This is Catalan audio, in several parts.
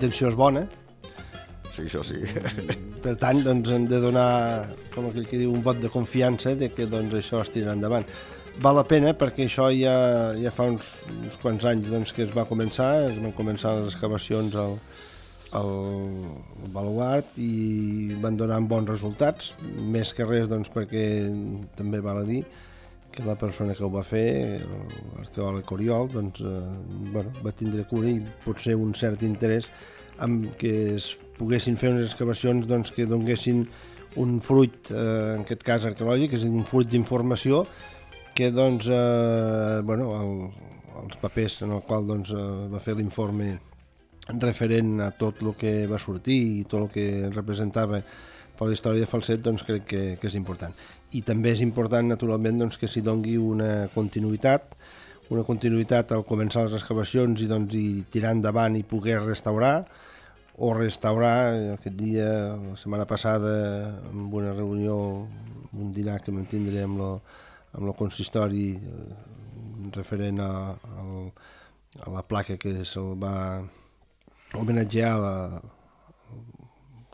intenció és bona. Sí, això sí. Per tant, doncs, hem de donar, com aquell que diu, un vot de confiança de que doncs, això es tirarà endavant. Val la pena perquè això ja fa uns quants anys doncs, que es van començar les excavacions al baluart i van donant bons resultats, més que res doncs, perquè també val a dir que la persona que ho va fer, l'arqueòleg Oriol, doncs, va tindre cura i potser un cert interès en que es poguessin fer unes excavacions doncs, que donguessin un fruit, en aquest cas arqueològic, és a dir, un fruit d'informació que doncs, els papers en el qual doncs, va fer l'informe referent a tot el que va sortir i tot el que representava per la història de Falset, doncs crec que és important. I també és important, naturalment, doncs, que s'hi dongui una continuïtat al començar les excavacions i, doncs, i tirar endavant i poder restaurar aquest dia, la setmana passada, en una reunió, un dinar que vam tindre amb el consistori referent a la placa que se'l va homenatjar al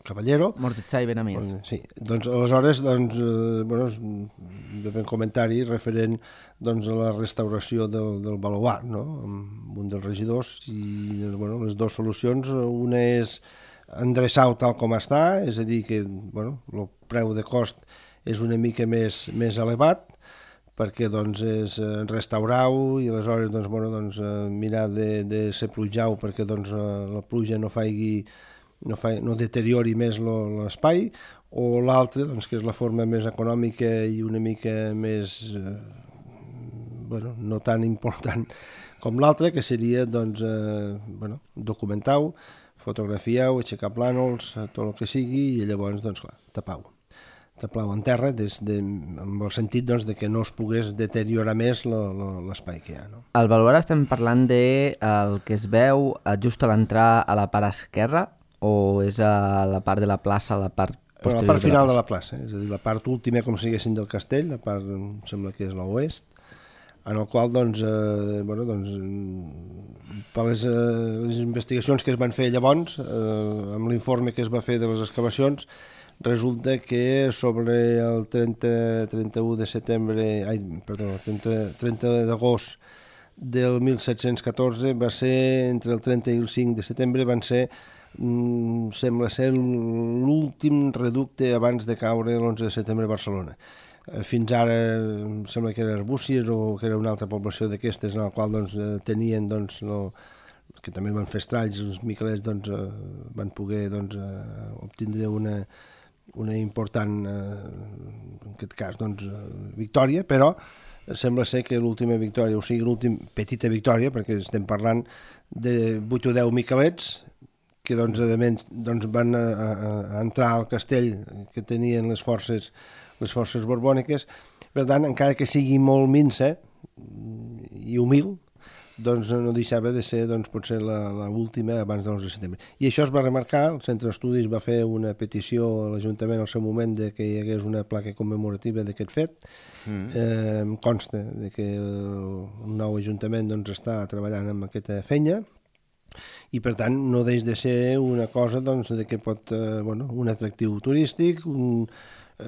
Caballero. Mortechai Benamir. Sí, doncs aleshores va haver un comentari referent doncs, a la restauració del baluart, no? Amb un dels regidors i les dues solucions, una és endreçar-ho tal com està, és a dir que el preu de cost és una mica més elevat perquè doncs, és restaurar-ho i aleshores mirar de ser plujau perquè doncs, la pluja no deteriori més l'espai, o l'altre, doncs, que és la forma més econòmica i una mica més, no tan important com l'altre, que seria doncs, documentar-ho, fotografiar-ho, aixecar plànols, tot el que sigui, i llavors, doncs, clar, tapar-ho en terra, amb el sentit doncs, de que no es pogués deteriorar més l'espai que hi ha. No? Al baluart estem parlant de el que es veu just a l'entrar a la part esquerra, o és a la part de la plaça, a la part posterior? La part final de la plaça, és a dir, la part última, com si diguéssim, del castell, la part, em sembla que és l'oest, en el qual, per les investigacions que es van fer llavors, amb l'informe que es va fer de les excavacions, resulta que sobre el 30 d'agost del 1714 va ser, entre el 30 i el 5 de setembre, van ser, sembla ser, l'últim reducte abans de caure l'11 de setembre a Barcelona. Fins ara em sembla que era Arbúcies o que era una altra població d'aquestes en la qual tenien que també van fer estralls, els miquelets van poder obtindre una important, en aquest cas, victòria, però sembla ser que l'última victòria, o sigui, l'última petita victòria, perquè estem parlant de 8 o 10 miquelets, que a més van entrar al castell que tenien les forces borbòniques. Per tant, encara que sigui molt minsa i humil, doncs no deixava de ser potser l'última abans de l'11 de setembre. I això es va remarcar, el Centre d'Estudis va fer una petició a l'Ajuntament al seu moment de que hi hagués una placa commemorativa d'aquest fet. Em consta que el nou Ajuntament està treballant amb aquesta feina i per tant no deix de ser una cosa que pot, un atractiu turístic,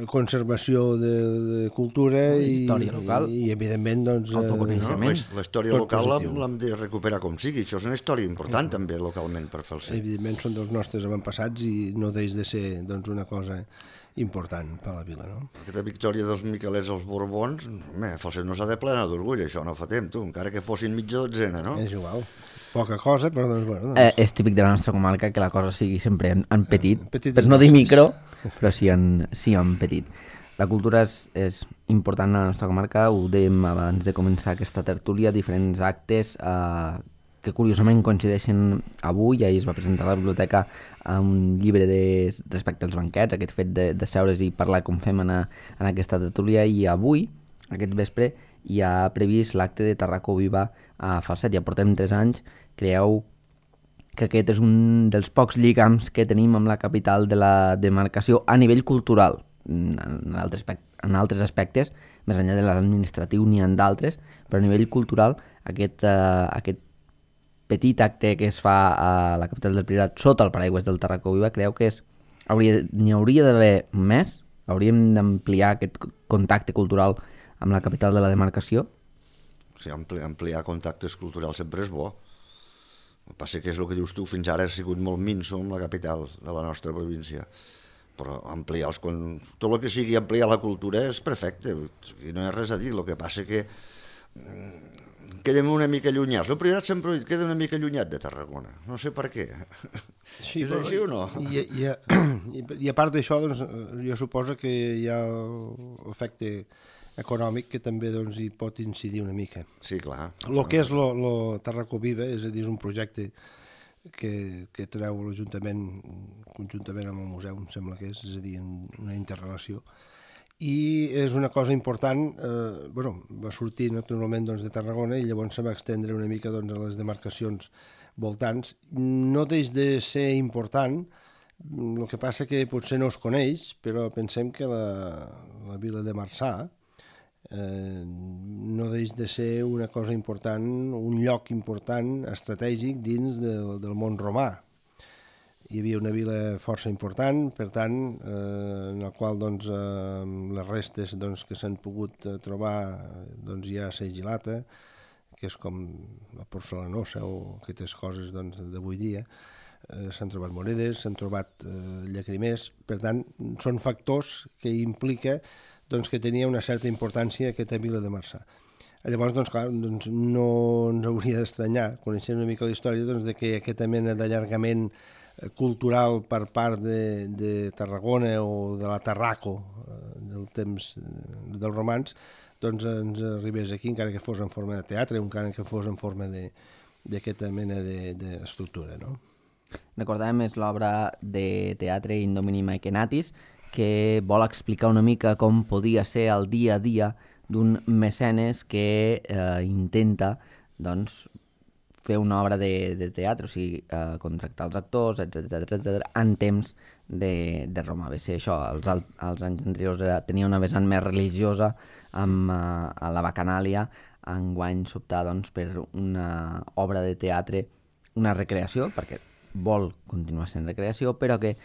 conservació de cultura i història local i evidentment autoconeixement. La història local l'hem de recuperar com sigui, això és una història important també localment per Falset. Evidentment són dels nostres avantpassats i no deix de ser una cosa important per a la vila, no? Aquesta victòria dels miquelets als Borbons, Falset no s'ha de plenar d'orgull, això no fa temps, encara que fossin mitja dotzena, no? És igual, poca cosa, però és típic de la nostra comarca que la cosa sigui sempre en petit, per no dir micro, però sí en petit. La cultura és important a la nostra comarca, ho dèiem abans de començar aquesta tertúlia, diferents actes que curiosament coincideixen avui. Ahir es va presentar a la biblioteca un llibre respecte als banquets, aquest fet de seure's i parlar com fem en aquesta tertúlia, i avui, aquest vespre, hi ha previst l'acte de Tarracó Viva a Falset. Ja portem 3 anys. Creieu que aquest és un dels pocs lligams que tenim amb la capital de la demarcació a nivell cultural? En altres aspectes, més enllà de l'administratiu n'hi ha d'altres, però a nivell cultural aquest petit acte que es fa a la capital del Priorat sota el paraigües del Tarraco Viva, creu que n'hi hauria d'haver més? Hauríem d'ampliar aquest contacte cultural amb la capital de la demarcació? Sí, ampliar contactes culturals sempre és bo. El que passa que és el que dius tu, fins ara ha sigut molt minso amb la capital de la nostra província. Però ampliar tot el que sigui ampliar la cultura és perfecte, i no hi ha res a dir. El que passa que quedem una mica allunyats. El Priorat sempre queda una mica allunyat de Tarragona, no sé per què. Sí, és així o no? I a part d'això, doncs, jo suposo que hi ha l'efecte econòmic que també doncs, hi pot incidir una mica. Sí, clar. El que és lo Tarraco Viva, és a dir, és un projecte que treu l'Ajuntament conjuntament amb el museu, em sembla que és a dir, una interrelació. I és una cosa important, va sortir naturalment doncs, de Tarragona i llavors se va extendre una mica doncs, a les demarcacions voltants. No deix de ser important, el que passa que potser no es coneix, però pensem que la vila de Marçà no deix de ser una cosa important, un lloc important, estratègic dins del món romà. Hi havia una vila força important, per tant, en la qual doncs, les restes doncs, que s'han pogut trobar doncs, hi ha segilata, que és com la porcelanosa o aquestes coses doncs, d'avui dia. S'han trobat monedes, s'han trobat llacrimers, per tant, són factors que implica doncs, que tenia una certa importància aquesta vila de Marçà. Llavors, doncs, clar, doncs, no ens hauria d'estranyar, coneixent una mica la història, doncs, de que aquesta mena d'allargament cultural per part de Tarragona o de la Tarraco del temps dels romans, doncs ens arribés aquí, encara que fos en forma de teatre, encara que fos en forma d'aquesta mena d'estructura, no? Recordem, és l'obra de teatre In Domini Mecenatis, que vol explicar una mica com podia ser el dia a dia d'un mecenes que intenta, doncs, fer una obra de teatre, o sigui, contractar els actors, etc en temps de Roma. Ve ser això, als anys anteriors tenia una vessant més religiosa amb la bacanàlia, enguany s'optar doncs, per una obra de teatre, una recreació, perquè vol continuar sent recreació, però que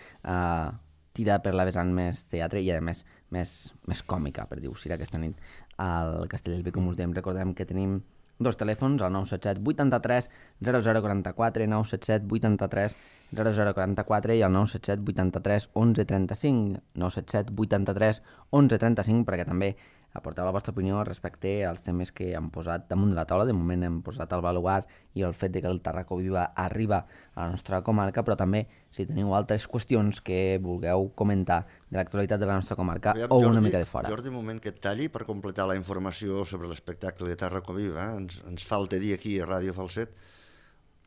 tira per la vessant més teatre i, a més, més còmica, per dir-ho així, aquesta nit al Castellbell, com us dèiem. Recordem que tenim dos telèfons, el 977 83 0044, 977 83 0044 i el 977 83 11 35, 977 83 11 35, perquè també aporteu la vostra opinió respecte als temes que hem posat damunt de la taula. De moment hem posat el baluard i el fet de que el Tarraco Viva arriba a la nostra comarca, però també si teniu altres qüestions que vulgueu comentar de l'actualitat de la nostra comarca o una mica de fora. Jordi, un moment que et talli per completar la informació sobre l'espectacle de Tarraco Viva. Ens falta dir aquí a Ràdio Falset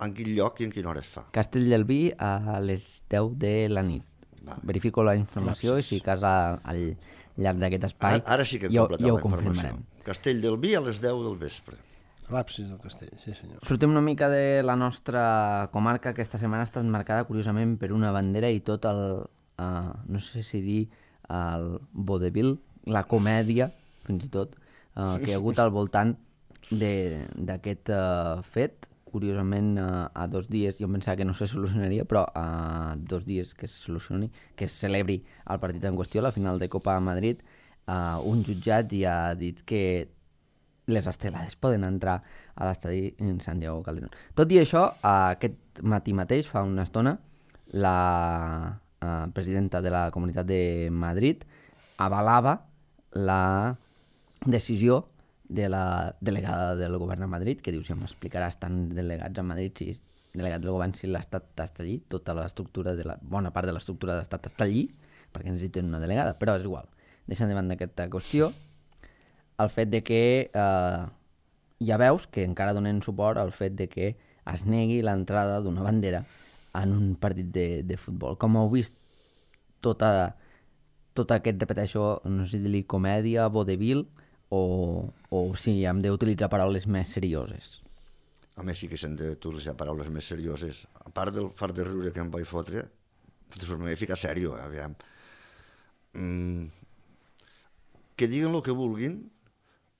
en quin lloc i en quina hora es fa. Castellbell a les 10 de la nit. Verifico la informació i si cas al llarg d'aquest espai ara sí que hem completat la informació. Castellbell a les 10 del vespre. L'absis del castell, sí senyor. Sortim una mica de la nostra comarca, que aquesta setmana ha estat marcada curiosament per una bandera i tot el, no sé si dir, el vodevil, la comèdia, fins i tot, que hi ha hagut al voltant d'aquest fet. Curiosament, a 2 dies, jo pensava que no se solucionaria, però a 2 dies que se solucioni, que es celebri el partit en qüestió, la final de Copa a Madrid, un jutjat ja ha dit que les estelades poden entrar a l'estadi en Santiago Calderón. Tot i això, aquest matí mateix, fa una estona, la presidenta de la Comunitat de Madrid avalava la decisió de la delegada del govern a Madrid, que diu, si m'explicarà, estan delegats a Madrid, si és delegat del govern, si l'Estat està allí, tota l'estructura, bona part de l'estructura de l'Estat està allí, perquè necessiten una delegada, però és igual. Deixant davant d'aquesta qüestió, el fet de que ja veus que encara donen suport al fet de que es negui l'entrada d'una bandera en un partit de futbol. Com heu vist, tot aquest, repeteixo, no sé si dir-li comèdia, vodevil, o si hem d'utilitzar paraules més serioses. A més, sí que s'han d'utilitzar paraules més serioses. A part del fart de riure que em vaig fotre, després m'he ficat sèrio, aviam. Que diguin el que vulguin,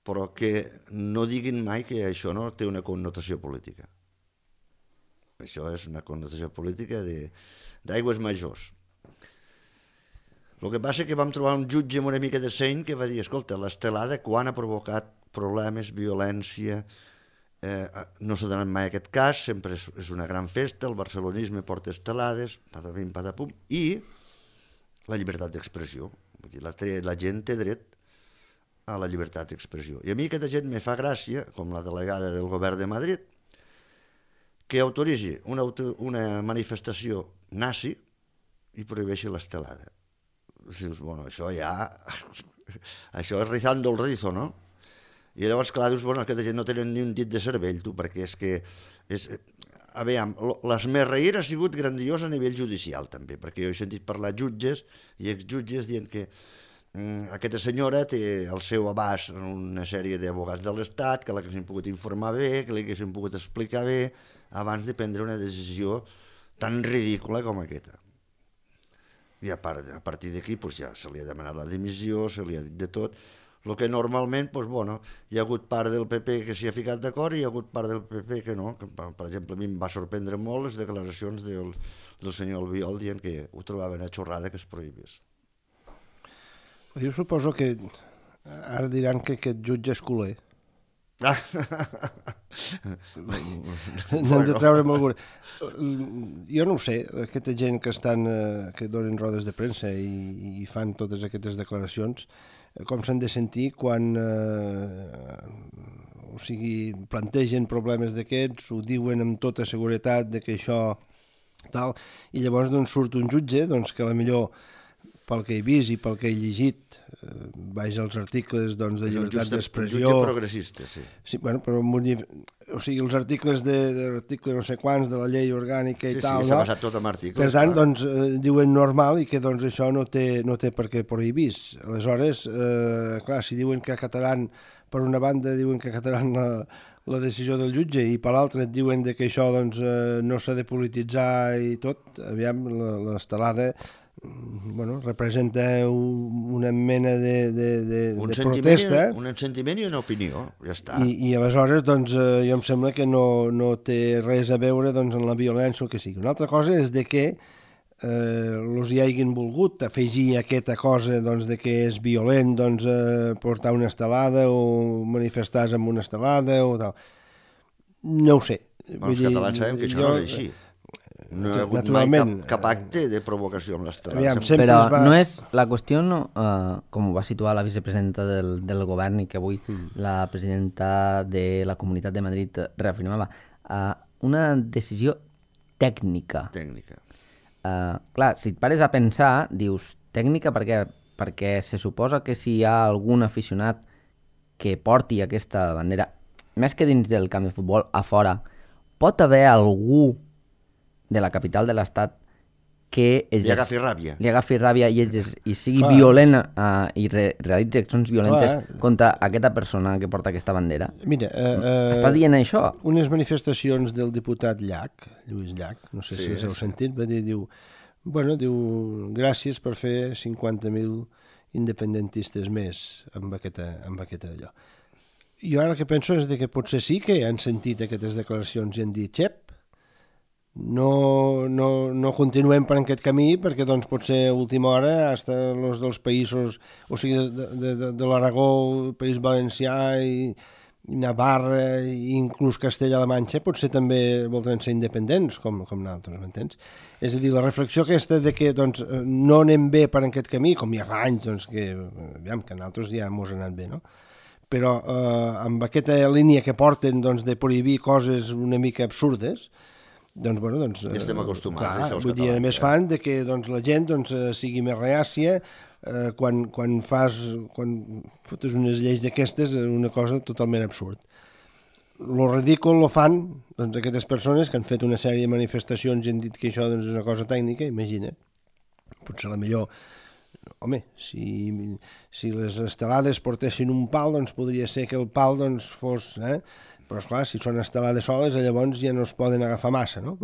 però que no diguin mai que això no té una connotació política. Això és una connotació política d'aigües majors. El que passa és que vam trobar un jutge amb una mica de seny que va dir, escolta, l'estelada quan ha provocat problemes, violència, no s'ha donat mai aquest cas, sempre és una gran festa, el barcelonisme porta estelades, patapim, patapum, i la llibertat d'expressió. Vull dir, la gent té dret a la llibertat d'expressió. I a mi aquesta gent me fa gràcia, com la delegada del govern de Madrid, que autoritzi una manifestació nazi i prohibeixi l'estelada. Dius, bueno, això ja... això és rizando el rizo, no? I llavors, clar, dius, bueno, aquesta gent no tenen ni un dit de cervell, tu, perquè és que... Aviam, l'esmerreïr ha sigut grandiós a nivell judicial, també, perquè jo he sentit parlar jutges i exjutges dient que aquesta senyora té al seu abast una sèrie d'advocats de l'Estat que l'haguessin pogut informar bé, que l'haguessin pogut explicar bé, abans de prendre una decisió tan ridícula com aquesta. I a partir d'aquí ja se li ha demanat la dimissió, se li ha dit de tot, el que normalment hi ha hagut part del PP que s'hi ha ficat d'acord i hi ha hagut part del PP que no. Per exemple, a mi em va sorprendre molt les declaracions del senyor Albiol dient que ho trobaven a xorrada que es prohibís. Jo suposo que ara diran que aquest jutge és culer. N'hem de treure amb alguna. Jo no ho sé, aquesta gent que donen rodes de premsa i fan totes aquestes declaracions, com s'han de sentir quan plantegen problemes d'aquests, ho diuen amb tota seguretat de que això tal, i llavors surt un jutge que potser pel que he vist i pel que he llegit, vaig als articles de llibertat d'expressió... Un jutge progressista, sí. Sí, bueno, però els articles de l'article no sé quants de la llei orgànica i tal, sí, s'ha basat tot en articles. Per tant, diuen normal i que això no té per què prohibir. Aleshores, clar, si diuen que acataran, per una banda diuen que acataran la decisió del jutge i per l'altra et diuen que això no s'ha de polititzar i tot, aviam, l'estelada representa una mena de protesta. Un sentiment i una opinió, ja està. I aleshores, jo em sembla que no té res a veure en la violència o el que sigui. Una altra cosa és que els hi hagin volgut afegir aquesta cosa de que és violent portar una estelada o manifestar-se amb una estelada o tal. No ho sé. Els catalans sabem que això no és així. No hi ha hagut mai cap acte de provocació amb l'estelada. Però no és la qüestió, com ho va situar la vicepresidenta del govern i que avui la presidenta de la Comunitat de Madrid reafirmava, una decisió tècnica. Clar, si et pares a pensar, dius, tècnica per què? Perquè se suposa que si hi ha algun aficionat que porti aquesta bandera, més que dins del camp de futbol, a fora, pot haver algú de la capital de l'Estat que li agafi ràbia i sigui violent i realitzi accions violentes contra aquesta persona que porta aquesta bandera. Mira, està dient això? Unes manifestacions del diputat Lluís Llach, no sé si heu sentit, va dir, diu, gràcies per fer 50.000 independentistes més amb aquesta d'allò. Jo ara el que penso és que potser sí que han sentit aquestes declaracions i han dit, xep, no continuem per aquest camí perquè potser a última hora fins els dels països, o sigui de l'Aragó, País Valencià i Navarra i inclús Castella-La Manxa potser també voldran ser independents com nosaltres, m'entens? És a dir, la reflexió aquesta de que no anem bé per aquest camí, com ja fa anys que nosaltres ja mos ha anat bé, no? Però amb aquesta línia que porten de prohibir coses una mica absurdes, ja estem acostumats. Vull dir, a més fan que la gent sigui més reàcia quan fotes unes lleis d'aquestes, una cosa totalment absurd. Lo ridícul lo fan aquestes persones que han fet una sèrie de manifestacions i han dit que això és una cosa tècnica, imagina't. Potser la millor, home, si les estelades portessin un pal, podria ser que el pal fos... Però, esclar, si són estelades soles, llavors ja no es poden agafar massa, no?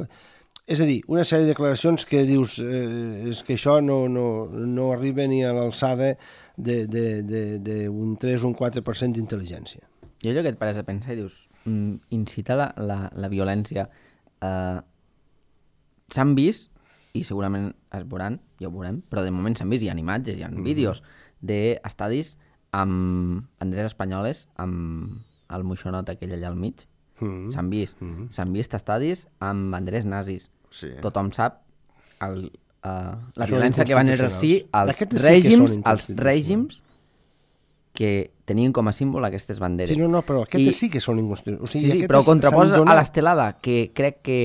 És a dir, una sèrie de declaracions que dius és que això no arriba ni a l'alçada d'un 3 o un 4% d'intel·ligència. Jo allò que et pares a pensar i dius, incita la violència s'han vist, i segurament es veuran, ja ho veurem, però de moment s'han vist, hi ha imatges, hi ha vídeos d'estadis amb banderes espanyoles, amb el moixonot aquell allà al mig. S'han vist estadis amb banderes nazis. Sí. Tothom sap la violència que van exercir els règims que tenien com a símbol aquestes banderes. Sí, però aquestes sí que són inconstitucionals. Sí, però ho contraposa a l'estelada, que crec que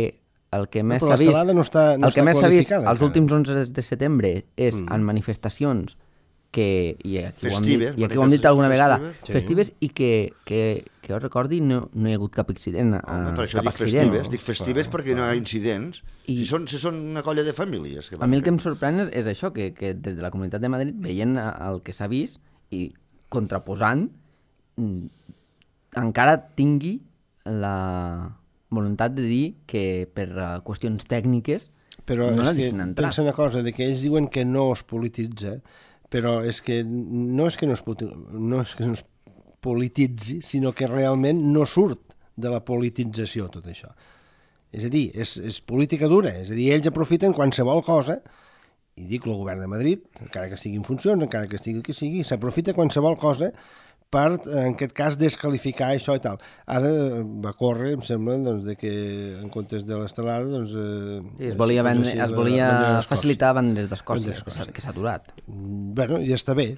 el que més s'ha vist, els últims 11 de setembre és en manifestacions que, i aquí ho hem dit alguna vegada, festives, i que jo recordi no hi ha hagut cap accident. Per això dic festives perquè no hi ha incidents. Si són una colla de famílies. A mi el que em sorprèn és això, que des de la Comunitat de Madrid, veient el que s'ha vist i contraposant, encara tingui la voluntat de dir que per qüestions tècniques no la deixen entrar. Pensa una cosa, que ells diuen que no es polititza, però és que no és que no es polititzi, sinó que realment no surt de la politització tot això. És a dir, és política dura, és a dir, ells aprofiten qualsevol cosa, i dic el govern de Madrid, encara que estigui en funcions, encara que estigui el que sigui, s'aprofita qualsevol cosa per, en aquest cas, desqualificar això i tal. Ara va córrer, em sembla, de que en comptes de l'estelada... es volia facilitar banderes d'Escòcia, que s'ha aturat. Bueno, ja està bé.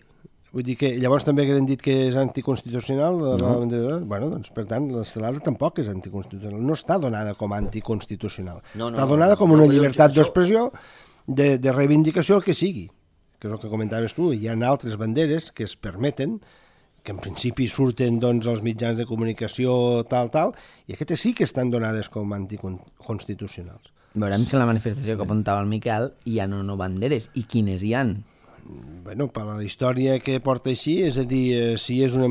Vull dir que llavors també han dit que és anticonstitucional la bandera. Bueno, doncs, per tant, l'estelada tampoc és anticonstitucional. No està donada com a anticonstitucional. Està donada com una llibertat d'expressió, de reivindicació, el que sigui. Que és el que comentaves tu. Hi ha altres banderes que es permeten, que en principi surten als mitjans de comunicació tal, i aquestes sí que estan donades com anticonstitucionals. Veurem si en la manifestació que apuntava el Miquel hi ha o no banderes, i quines hi han. Bueno, per la història que porta així, és a dir, si és una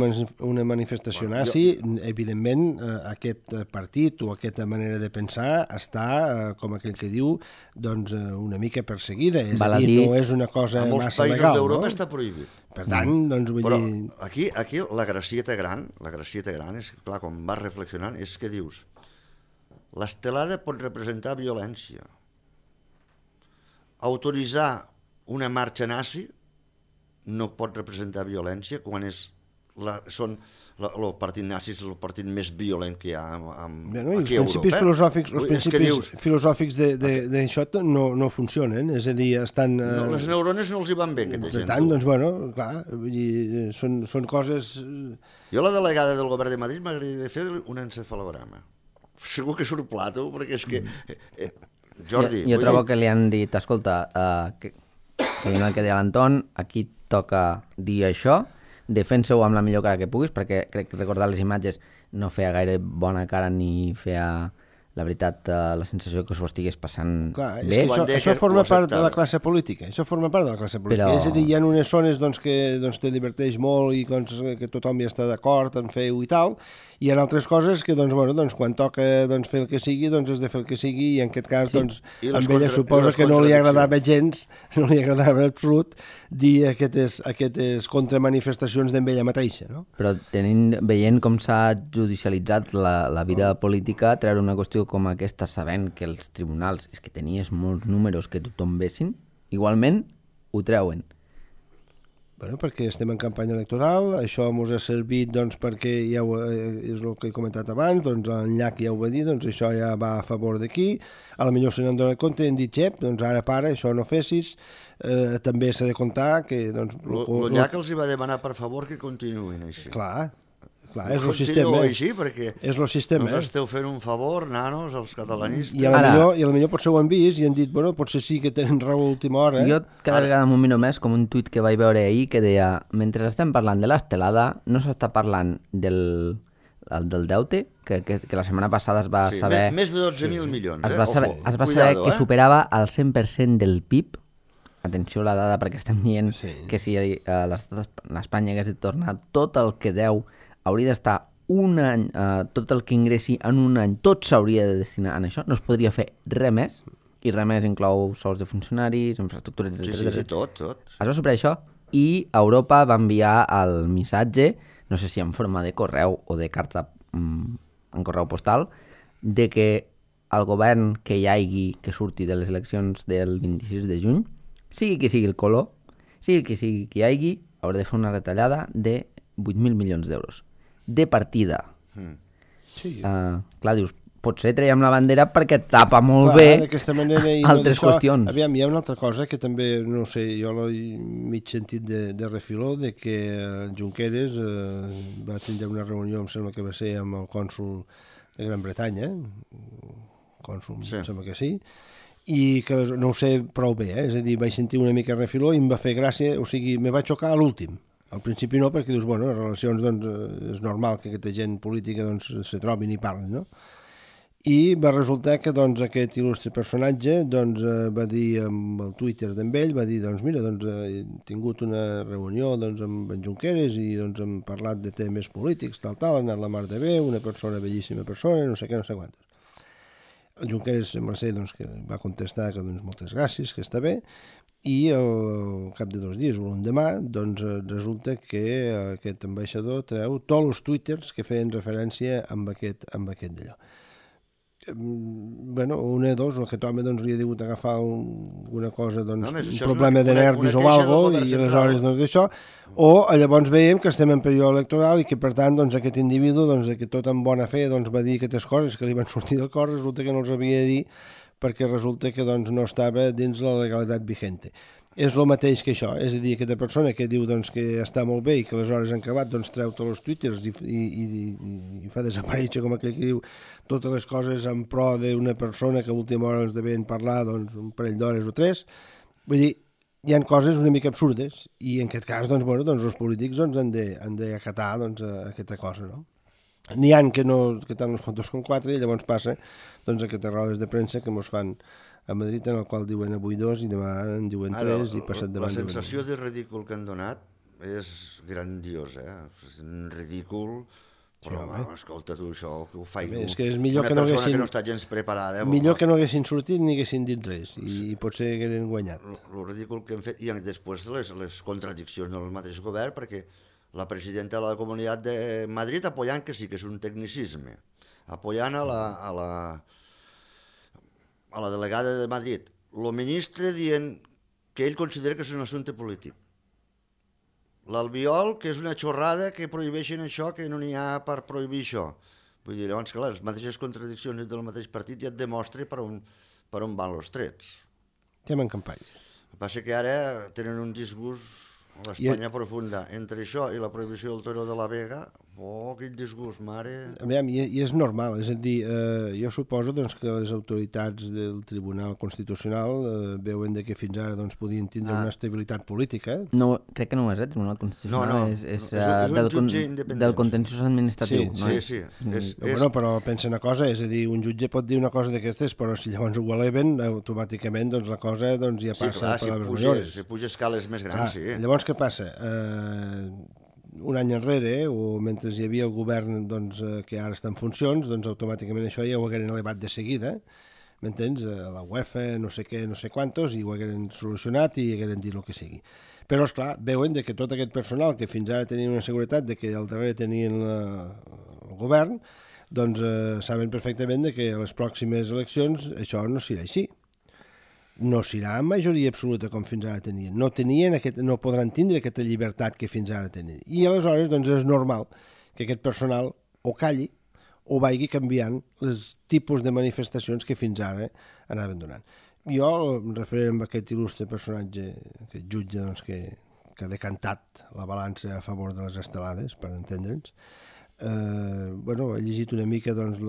manifestació nazi, evidentment aquest partit o aquesta manera de pensar està, com aquell que diu, doncs una mica perseguida, és a dir, no és una cosa massa legal. A molts països d'Europa està prohibit. Per tant, doncs vull dir... Però aquí la gracieta gran és, clar, quan vas reflexionant, és que dius, l'estelada pot representar violència. Autoritzar una marxa nazi no pot representar violència quan són el partit nazi és el partit més violent que hi ha aquí a Europa. Els principis filosòfics d'això no funcionen, és a dir, estan... Les neurones no els hi van bé, aquesta gent. Per tant, doncs, bueno, clar, són coses... Jo, la delegada del govern de Madrid, m'agradaria fer un encefalograma. Segur que surt plato, perquè és que... Jordi... Jo trobo que li han dit, escolta, seguint el que deia l'Anton, aquí toca dir això, defensa-ho amb la millor cara que puguis, perquè crec que recordar les imatges no feia gaire bona cara ni feia, la veritat, la sensació que s'ho estigués passant bé. Això forma part de la classe política, és a dir, hi ha unes zones que te diverteix molt i que tothom hi està d'acord en fer-ho i tal, i hi ha altres coses que, quan toca fer el que sigui, has de fer el que sigui, i en aquest cas, amb ella suposa que no li agradava gens, no li agradava en absolut, dir aquestes contramanifestacions d'en ella mateixa, no? Però veient com s'ha judicialitzat la vida política, treure una qüestió com aquesta, sabent que els tribunals és que tenies molts números que tothom vessin, igualment ho treuen. Bueno, perquè estem en campanya electoral, això ens ha servit perquè és el que he comentat abans, en Llach ja ho va dir, això ja va a favor d'aquí, a la millor se n'han donat compte, hem dit, ara para, això no fessis, també s'ha de comptar que... El Llach els hi va demanar per favor que continuïn així. Clar, és el sistema. Així, perquè és el sistema. Us esteu fent un favor, nanos, els catalanistes. I a la millor potser ho han vist i han dit, potser sí que tenen raó a última hora. Jo cada vegada m'ho miro més com un tuit que vaig veure ahir que deia, mentre estem parlant de l'estelada, no s'està parlant del deute, que la setmana passada es va saber... Més de 12.000 milions, Es va saber que superava el 100% del PIB. Atenció a la dada, perquè estem dient que si l'Espanya hagués de tornar tot el que deu, hauria d'estar un any, tot el que ingressi en un any, tot s'hauria de destinar a això, no es podria fer res més, i res més inclou sous de funcionaris, infraestructures, etc. Sí, tot. Es va superar això, i Europa va enviar el missatge, no sé si en forma de correu o de carta en correu postal, de que al govern que hi hagi que surti de les eleccions del 26 de juny, sigui qui sigui el color, sigui qui sigui qui hi hagi, haurà de fer una retallada de 8.000 milions d'euros. De partida. Sí. Clar, dius, potser traiem la bandera perquè tapa molt bé altres qüestions. Aviam, hi ha una altra cosa que també, no sé, jo m'he sentit de refiló, de que Junqueras va tindre una reunió, em sembla que va ser amb el cònsol de Gran Bretanya, cònsol, em sembla que sí, i que no ho sé prou bé, és a dir, vaig sentir una mica refiló i em va fer gràcia, o sigui, me va xocar a l'últim. Al principi no, perquè dius, bueno, les relacions, doncs, és normal que aquesta gent política, doncs, se trobin i parlin, no? I va resultar que, doncs, aquest il·lustre personatge, doncs, va dir amb el Twitter d'en ell, va dir, doncs, mira, doncs, he tingut una reunió, doncs, amb en Junqueras i, doncs, hem parlat de temes polítics, tal, ha anat la mar de bé, una persona, bellíssima persona, no sé què, no sé quantes. El Junqueras sembla ser, doncs, que va contestar que, doncs, moltes gràcies, que està bé, i al cap de 2 dies o l'endemà, doncs, resulta que aquest ambaixador treu tots els twitters que feien referència amb aquest d'allò. Bueno, una o dos, o aquest home, doncs, li ha degut agafar una cosa, doncs, un problema de nervis o alguna cosa, i aleshores, doncs, d'això, o llavors veiem que estem en període electoral i que, per tant, doncs, aquest individu, doncs, que tot amb bona fe, doncs, va dir aquestes coses que li van sortir del cor, resulta que no els havia de dir perquè resulta que, doncs, no estava dins la legalitat vigente. És el mateix que això, és a dir, aquesta persona que diu, doncs, que està molt bé i que aleshores han acabat, doncs, treu tots els twitters i fa desaparèixer, com aquell que diu, totes les coses en pro d'una persona que a última hora ens devien parlar, doncs, un parell d'hores o 3. Vull dir, hi ha coses una mica absurdes i en aquest cas, doncs, bueno, doncs els polítics, doncs, han d'acatar, doncs, aquesta cosa, no? N'hi ha que tant els fotos com 4 i llavors passa, doncs, aquestes rodes de premsa que mos fan a Madrid, en el qual diuen avui 2 i demà en diuen 3 i passat davant. La sensació de ridícul que han donat és grandiosa, és un ridícul, però, escolta tu, això, que ho faig una persona que no està gens preparada. Millor que no haguessin sortit ni haguessin dit res, i potser haguessin guanyat. El ridícul que hem fet, i després les contradiccions del mateix govern, perquè la presidenta de la Comunitat de Madrid apoyant, que sí que és un tecnicisme, apoyant a la delegada de Madrid, el ministre dient que ell considera que és un assumpte polític. L'Albiol, que és una xorrada, que prohibeixen això, que no n'hi ha per prohibir això. Vull dir, llavors, clar, les mateixes contradiccions del mateix partit ja et demostra per on van els trets. Estem en campanya. El que passa que ara tenen un disgust a l'Espanya profunda. Entre això i la prohibició del Toro de la Vega, quin disgust, mare... I és normal, és a dir, jo suposo, doncs, que les autoritats del Tribunal Constitucional veuen que fins ara, doncs, podien tindre una estabilitat política. No, crec que no és, el Tribunal Constitucional és un jutge independent. Del contenciós administratiu. Sí. Bueno, però pensa una cosa, és a dir, un jutge pot dir una cosa d'aquestes, però si llavors ho eleven, automàticament, doncs, la cosa ja passa per les millores. Si puja escales més grans, sí. Llavors, què passa? Un any enrere, o mentre hi havia el govern, doncs, que ara està en funcions, doncs automàticament això ja ho hagueren elevat de seguida, m'entens? A la UEFA, no sé què, no sé quantos, i ho hagueren solucionat i hagueren dit el que sigui. Però, esclar, veuen que tot aquest personal que fins ara tenien una seguretat de que al darrere tenien el govern, doncs saben perfectament que a les pròximes eleccions això no serà així. No serà en majoria absoluta com fins ara tenien. No podran tindre aquesta llibertat que fins ara tenien. I aleshores, doncs, és normal que aquest personal o calli o vagi canviant els tipus de manifestacions que fins ara anaven donant. Jo em referiré a aquest il·lustre personatge, aquest jutge, doncs, que ha decantat la balança a favor de les estelades, per entendre'ns. He llegit una mica, doncs,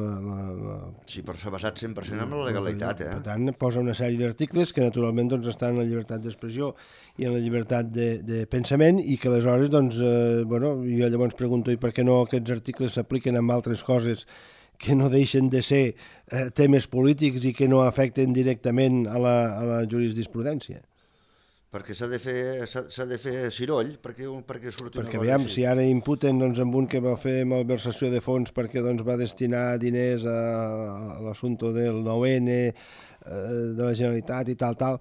Sí, però s'ha basat 100% en la legalitat, Per tant, posa una sèrie d'articles que naturalment, doncs, estan en la llibertat d'expressió i en la llibertat de pensament, i que aleshores, doncs, jo llavors pregunto, i per què no aquests articles s'apliquen amb altres coses que no deixen de ser temes polítics i que no afecten directament a la jurisprudència? Perquè s'ha de fer ciroll perquè surti una cosa. Perquè aviam, si ara imputen, doncs, amb un que va fer malversació de fons perquè, doncs, va destinar diners a l'assumpte del 9N de la Generalitat i tal,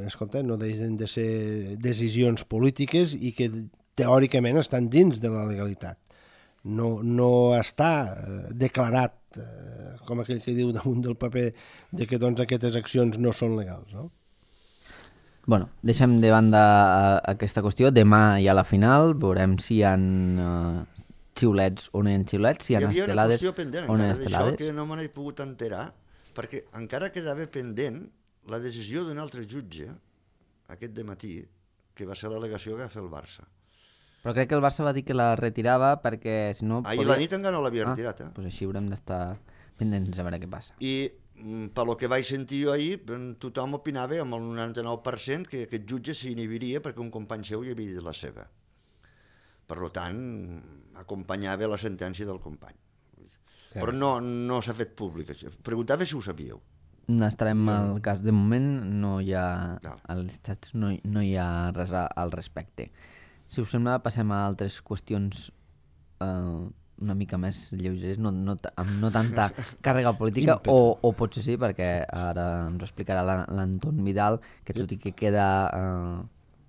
escolta, no deixen de ser decisions polítiques i que teòricament estan dins de la legalitat. No està declarat com aquell que diu damunt del paper de que doncs, aquestes accions no són legals, no? Bueno, deixem de banda aquesta qüestió. Demà hi ha la final, veurem si hi ha xiulets o no hi ha xiulets, si hi ha estelades o no hi ha estelades. Hi havia una qüestió pendent encara d'això que no me n'he pogut enterar, perquè encara quedava pendent la decisió d'un altre jutge aquest dematí, que va ser l'al·legació que va fer el Barça. Però crec que el Barça va dir que la retirava perquè si no... Ahir la nit encara no l'havia retirat. Doncs així haurem d'estar pendents a veure què passa. I pel que vaig sentir jo ahir, tothom opinava amb el 99% que aquest jutge s'inhibiria perquè un company seu hi havia dit la seva. Per tant, acompanyava la sentència del company. Però no s'ha fet públic. Preguntava si ho sabíeu. Estarem al cas. De moment no hi ha, als estats no hi ha res al respecte. Si us sembla, passem a altres qüestions una mica més lleugeres, amb no tanta càrrega política, o potser sí, perquè ara ens ho explicarà l'Anton Vidal, que tot i que queda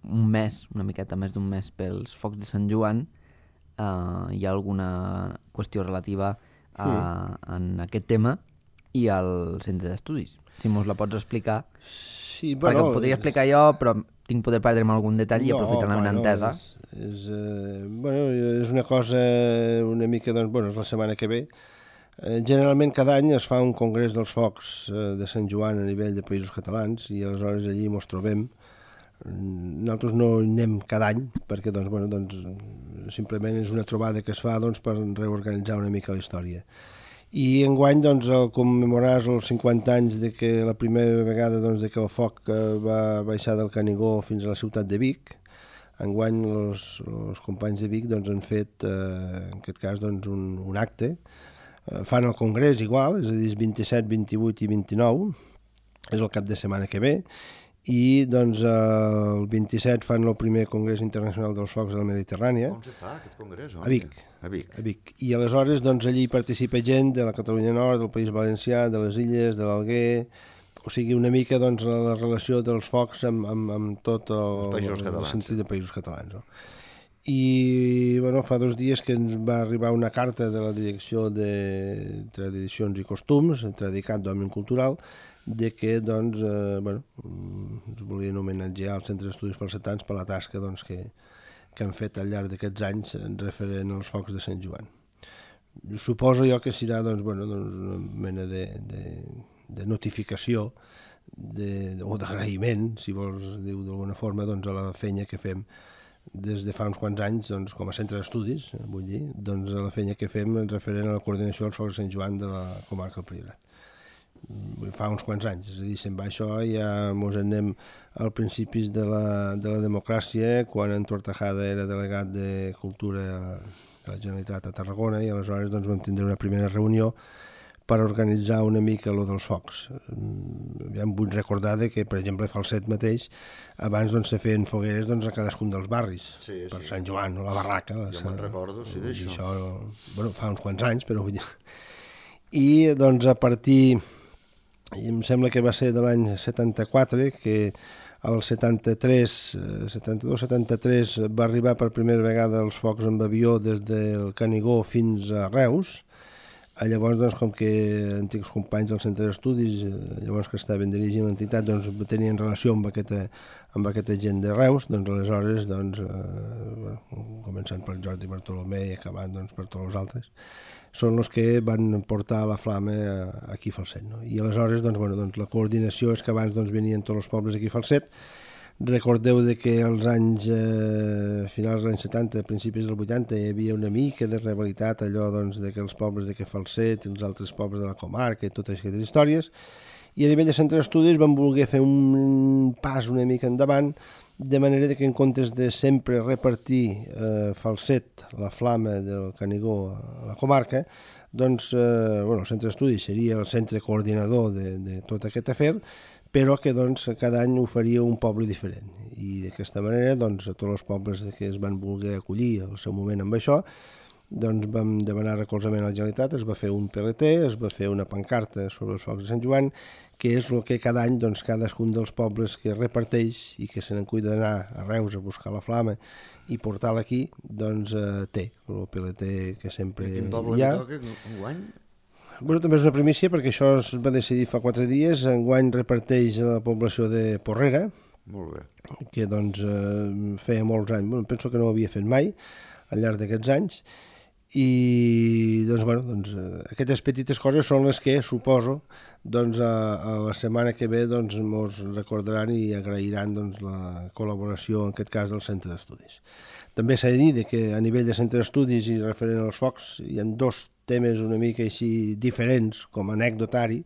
un mes, una miqueta més d'un mes pels focs de Sant Joan, hi ha alguna qüestió relativa en aquest tema i al centre d'estudis. Si mos la pots explicar, sí, perquè ho podria explicar jo, però tinc poder perdre'm algun detall i aprofitar la meva entesa. És una cosa una mica, doncs, és la setmana que ve. Generalment cada any es fa un congrés dels focs de Sant Joan a nivell de països catalans i aleshores allí mos trobem. Nosaltres no hi anem cada any perquè simplement és una trobada que es fa per reorganitzar una mica la història. I enguany, al commemorar els 50 anys de que la primera vegada de que el foc va baixar del Canigó fins a la ciutat de Vic, enguany els companys de Vic han fet, en aquest cas, un acte. Fan el congrés igual, és a dir, 27, 28 i 29, és el cap de setmana que ve, i el 27 fan el primer Congrés Internacional dels Focs de la Mediterrània. On se fa aquest congrés? A Vic. I aleshores allí participa gent de la Catalunya Nord, del País Valencià, de les Illes, de l'Alguer, o sigui, una mica la relació dels focs amb tot el sentit de països catalans. No? I fa 2 dies que ens va arribar una carta de la Direcció de Tradicions i Costums, Tradicat d'Òmnium Cultural, de que ens volien homenatjar als centres d'estudis falsetans per la tasca que han fet al llarg d'aquests anys referent als focs de Sant Joan. Suposo jo que serà una mena de notificació o d'agraïment, si vols dir d'alguna forma, a la feina que fem des de fa uns quants anys com a centre d'estudis, vull dir, a la feina que fem referent a la coordinació dels focs de Sant Joan de la comarca del Priorat. Fa uns quants anys, és a dir, se'n va això i ja mos anem als principis de la democràcia, quan en Tortajada era delegat de Cultura de la Generalitat a Tarragona, i aleshores vam tindre una primera reunió per organitzar una mica lo dels focs. Vull recordar que, per exemple, a Falset mateix, abans se feien fogueres a cadascun dels barris, per Sant Joan, o la Barraca. Jo me'n recordo, sí, d'això. Fa uns quants anys, però vull dir... I, a partir... em sembla que va ser de l'any 74, que el 72-73 va arribar per primera vegada els focs amb avió des del Canigó fins a Reus. Llavors, com que antics companys del centre d'estudis, llavors que estaven dirigint l'entitat, tenien relació amb aquesta gent de Reus, aleshores, començant per Jordi Bartolomé i acabant per tots els altres, són els que van portar la flama aquí a Falset. No? I aleshores, la coordinació és que abans venien tots els pobles aquí a Falset. Recordeu que als anys finals dels anys 70, principis dels 80, hi havia una mica de rivalitat allò de que els pobles de Falset i els altres pobles de la comarca i totes aquestes històries. I a nivell de centre d'estudis vam voler fer un pas una mica endavant, de manera que en comptes de sempre repartir Falset, la flama del Canigó a la comarca, el centre d'estudis seria el centre coordinador de tot aquest afer, però que cada any ho faria un poble diferent. I d'aquesta manera, a tots els pobles que es van voler acollir al seu moment amb això, vam demanar recolzament a la Generalitat, es va fer un PLT, es va fer una pancarta sobre els focs de Sant Joan, que és el que cada any cadascun dels pobles que reparteix i que se n'en cuida d'anar a Reus a buscar la flama i portar-la aquí, té el PLT que sempre hi ha. Quin poble li toca enguany? Bueno, també és una primícia perquè això es va decidir fa 4 dies. Enguany reparteix a la població de Porrera, Molt bé. que doncs feia molts anys, bueno, penso que no ho havia fet mai al llarg d'aquests anys, i doncs, bueno, doncs, aquestes petites coses són les que suposo doncs, a la setmana que ve doncs, mos recordaran i agrairan doncs, la col·laboració en aquest cas del centre d'estudis. També s'ha de dir que a nivell de centre d'estudis i referent als focs hi ha 2 temes una mica així diferents com a anecdotari,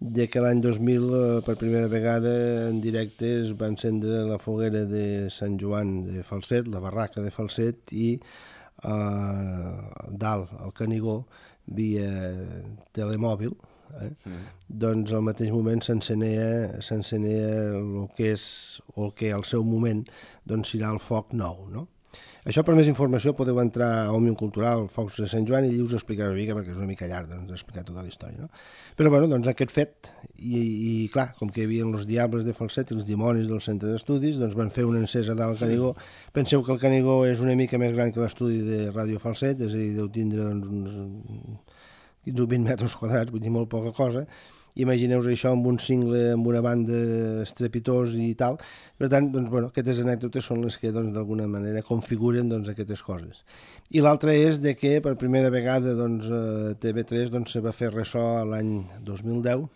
de que l'any 2000 per primera vegada en directe es va encendre la foguera de Sant Joan de Falset, la barraca de Falset, i dalt, al Canigó, via telemòbil, doncs al mateix moment s'encenia el que és, o el que al seu moment doncs, serà el foc nou, no? Això, per més informació, podeu entrar a Òmnium Cultural, Focs de Sant Joan, i us explicaré una mica, perquè és una mica llarg doncs, explicar tota la història. No? Però, bueno, doncs aquest fet, i clar, com que hi havia els diables de Falset i els dimonis del centre d'estudis, doncs van fer una encesa dalt al Canigó. Penseu que el Canigó és una mica més gran que l'estudi de Ràdio Falset, és a dir, deu tindre doncs, uns 15 o 20 metres quadrats, vull dir, molt poca cosa. Imagineu-vos això amb un cingle, amb una banda estrepitós i tal. Per tant, doncs, bueno, aquestes anècdotes són les que doncs, d'alguna manera configuren doncs, aquestes coses. I l'altra és de que per primera vegada doncs, TV3 doncs, se va fer ressò l'any 2010,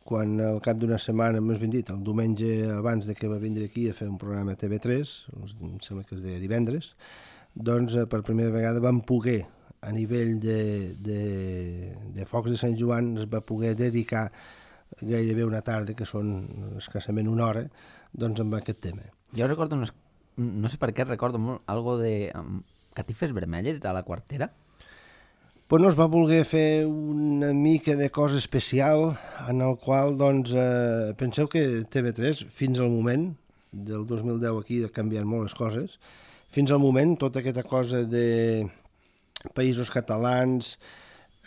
quan al cap d'una setmana, més ben dit, el diumenge abans de que va vindre aquí a fer un programa a TV3, em sembla que es deia divendres, doncs per primera vegada vam poder a nivell de Focs de Sant Joan es va poder dedicar gairebé una tarda, que són escassament una hora, doncs amb aquest tema. Jo recordo, no sé per què recordo molt, algo de catifes vermelles a la quartera. Pues no es va voler fer una mica de cosa especial en el qual, doncs, penseu que TV3, fins al moment, del 2010 aquí ha canviat molt les coses, fins al moment tota aquesta cosa de països catalans,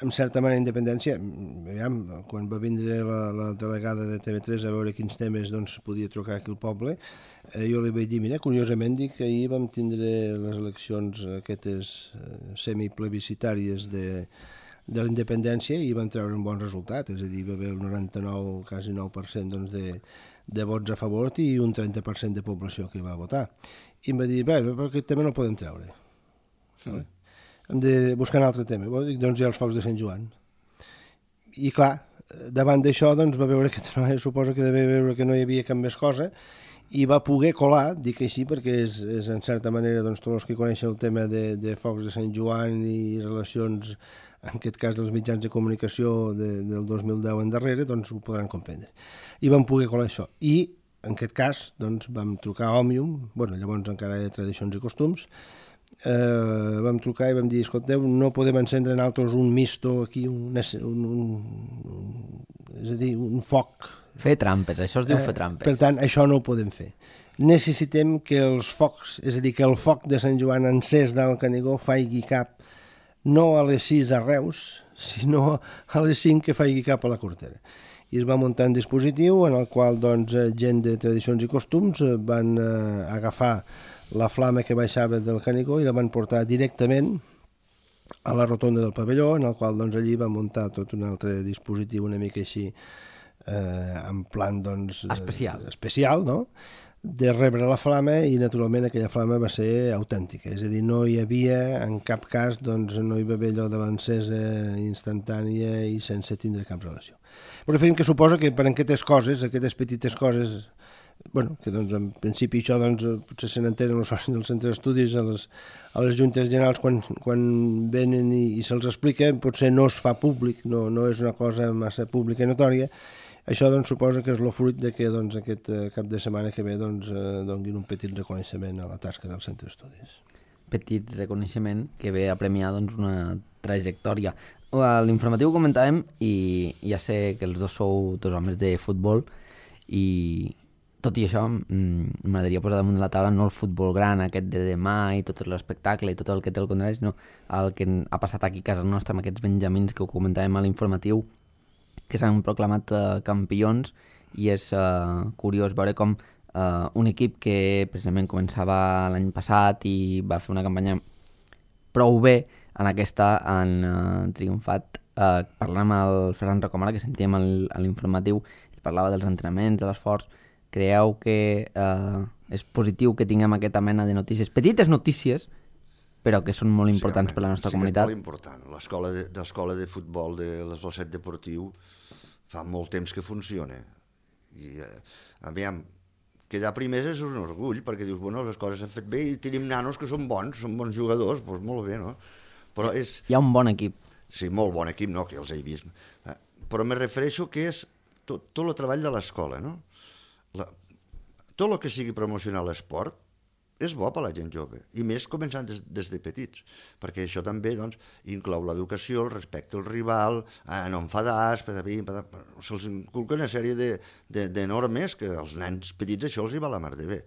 en certa manera independència, aviam, quan va vindre la delegada de TV3 a veure quins temes doncs, podia trucar aquí al poble, jo li vaig dir, mira, curiosament dic que ahir vam tindre les eleccions aquestes semiplebiscitàries de la independència i van treure un bon resultat, és a dir, va haver el 99, quasi 9% doncs, de vots a favor i un 30% de població que va votar. I em va dir, bé, però aquest tema no el podem treure. Sí. Hem de buscar un altre tema, doncs hi ha els Focs de Sant Joan. I clar, davant d'això doncs, va veure que suposo que devia veure que no hi havia cap més cosa i va poder colar, dic així perquè és en certa manera doncs, tots els que coneixen el tema de Focs de Sant Joan i relacions, en aquest cas dels mitjans de comunicació del 2010 en darrere, doncs ho podran comprendre. I vam poder colar això. I en aquest cas doncs, vam trucar a Òmnium, llavors encara hi ha Tradicions i Costums, vam trucar i vam dir, escolteu, no podem encendre nosaltres un misto aquí, és a dir, un foc. Fer trampes, això es diu fer trampes. Per tant, això no ho podem fer. Necessitem que els focs, és a dir, que el foc de Sant Joan encès del Canigó faigui cap, no a les 6 a Reus, sinó a les 5 que faigui cap a la Cortera. I es va muntar un dispositiu en el qual doncs, gent de Tradicions i Costums van agafar la flama que baixava del Canigó i la van portar directament a la rotonda del pavelló, en el qual doncs, allí va muntar tot un altre dispositiu una mica així en plan doncs, especial, no? De rebre la flama i naturalment aquella flama va ser autèntica, és a dir, no hi havia en cap cas, doncs no hi va haver allò de l'encesa instantània i sense tindre cap relació. Però referim que suposa que per aquestes coses, aquestes petites coses, que doncs en principi això doncs, potser se n'entenen els socis del centre d'estudis a les juntes generals quan venen i se'ls explica, potser no es fa públic, no és una cosa massa pública i notòria. Això doncs, suposa que és el fruit de que doncs, aquest cap de setmana que ve doncs, donguin un petit reconeixement a la tasca del centre d'estudis. Petit reconeixement que ve a premiar doncs, una trajectòria. A l'informatiu comentàvem, i ja sé que els dos sou dos homes de futbol, i tot i això m'agradaria posar damunt de la taula no el futbol gran, aquest de demà i tot l'espectacle i tot el que té el contrari, sinó el que ha passat aquí a casa nostra amb aquests benjamins que ho comentàvem a l'informatiu, que s'han proclamat campions, i és curiós veure com un equip que precisament començava l'any passat i va fer una campanya prou bé, en aquesta han triomfat. Parlant amb el Ferran Rocamora, que sentíem a l'informatiu, ell parlava dels entrenaments, de l'esforç. Creieu que és positiu que tinguem aquesta mena de notícies, petites notícies, però que són molt importants per la nostra comunitat? Sí, és molt important. L'escola de futbol de l'Esvalset Deportiu fa molt temps que funciona. I, aviam, quedar primers és un orgull, perquè dius, bueno, les coses s'han fet bé i tenim nanos que són bons jugadors, doncs molt bé, no? Però hi ha un bon equip. Sí, molt bon equip, no, que els he vist. Però me refereixo que és tot el treball de l'escola, no? Tot el que sigui promocionar l'esport és bo per a la gent jove, i més començant des de petits, perquè això també doncs, inclou l'educació, el respecte al rival, no enfadar, se'ls inculca una sèrie de normes que als nens petits això els hi va la mar de bé.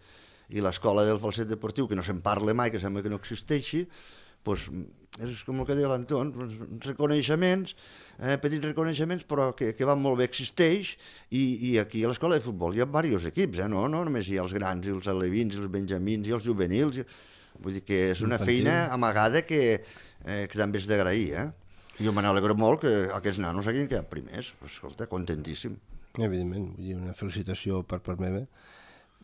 I l'escola del Falset Deportiu, que no se'n parla mai, que sembla que no existeixi, doncs és com el que deia l'Anton, reconeixements, petits reconeixements, però que van molt bé, existeix, i aquí a l'escola de futbol hi ha diversos equips, no només hi ha els grans, i els alevins, i els benjamins, i els juvenils, vull dir que és una feina amagada que també és d'agrair, Jo me n'alegro molt que aquests nanos hagin quedat primers, escolta, contentíssim. Evidentment, vull dir, una felicitació per part meva.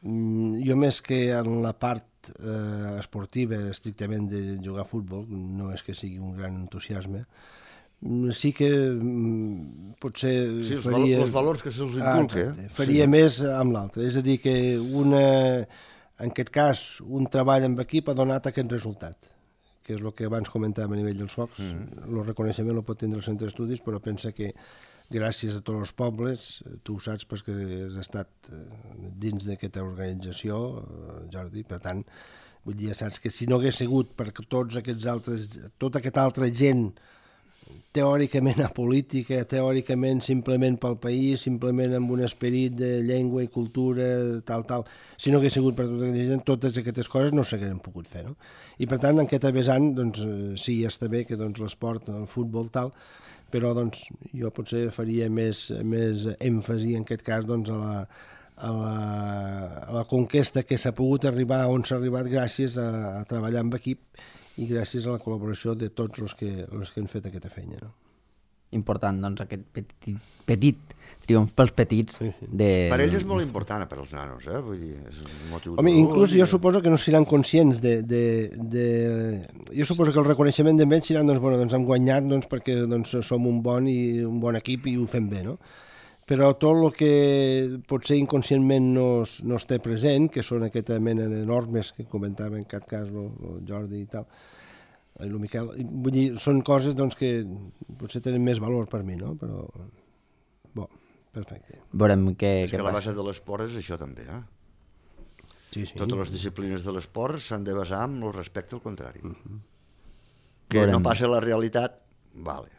Jo més que en la part esportiva estrictament de jugar a futbol, no és que sigui un gran entusiasme, sí que potser faria... Els valors que se'ls inculca. Faria més amb l'altre, és a dir, que en aquest cas un treball amb equip ha donat aquest resultat, que és el que abans comentàvem a nivell dels focs. El reconeixement el pot tindre el centre d'estudis, però pensa que gràcies a tots els pobles, tu ho saps perquè has estat dins d'aquesta organització, Jordi, per tant, vull dir, saps que si no hagués sigut perquè tots aquests altres, tota aquesta altra gent teòricament apolítica, teòricament simplement pel país, simplement amb un esperit de llengua i cultura, tal, si no hagués sigut per tota aquesta gent, totes aquestes coses no s'hagueren pogut fer, no? I per tant, en aquest vessant, doncs, sí, està bé que l'esport, el futbol, tal, però doncs, jo potser faria més èmfasi en aquest cas doncs, a la conquesta que s'ha pogut arribar on s'ha arribat gràcies a treballar amb equip i gràcies a la col·laboració de tots els que han fet aquesta feina. No? Important, doncs, aquest petit triomf pels petits. Sí. Per ells és molt important, per als nanos, vull dir, és un motiu... Home, inclús jo suposo que no seran conscients Jo suposo que el reconeixement d'ells seran, doncs hem guanyat perquè som un bon equip i ho fem bé, no? Però tot el que potser inconscientment no es té present, que són aquesta mena de normes que comentava en aquest cas el Jordi i tal, i el Miquel, vull dir, són coses doncs, que potser tenen més valor per mi, no? Però, bo, perfecte. Veurem què passa. És que la base de l'esport és això també, Sí. Totes les disciplines de l'esport s'han de basar en el respecte al contrari. Que no passa la realitat, vale.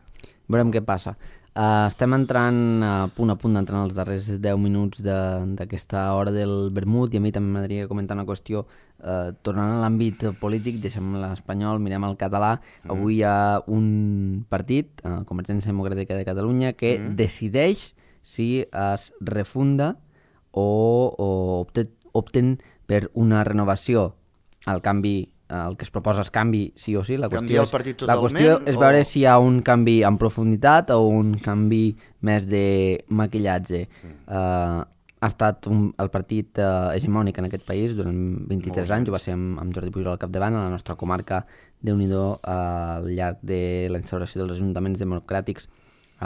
Veurem què passa. Estem entrant a punt d'entrar en els darrers 10 minuts d'aquesta hora del vermut i a mi també m'agradaria comentar una qüestió tornant a l'àmbit polític, deixem l'espanyol, mirem el català. Avui hi ha un partit, Convergència Democràtica de Catalunya, que decideix si es refunda o opten per una renovació. El que es proposa és canvi sí o sí. La qüestió és veure si hi ha un canvi en profunditat o un canvi més de maquillatge. Ha estat el partit hegemònic en aquest país durant 23 anys, ho va ser amb Jordi Pujol al capdavant, a la nostra comarca, Déu-n'hi-do, al llarg de la instauració dels ajuntaments democràtics,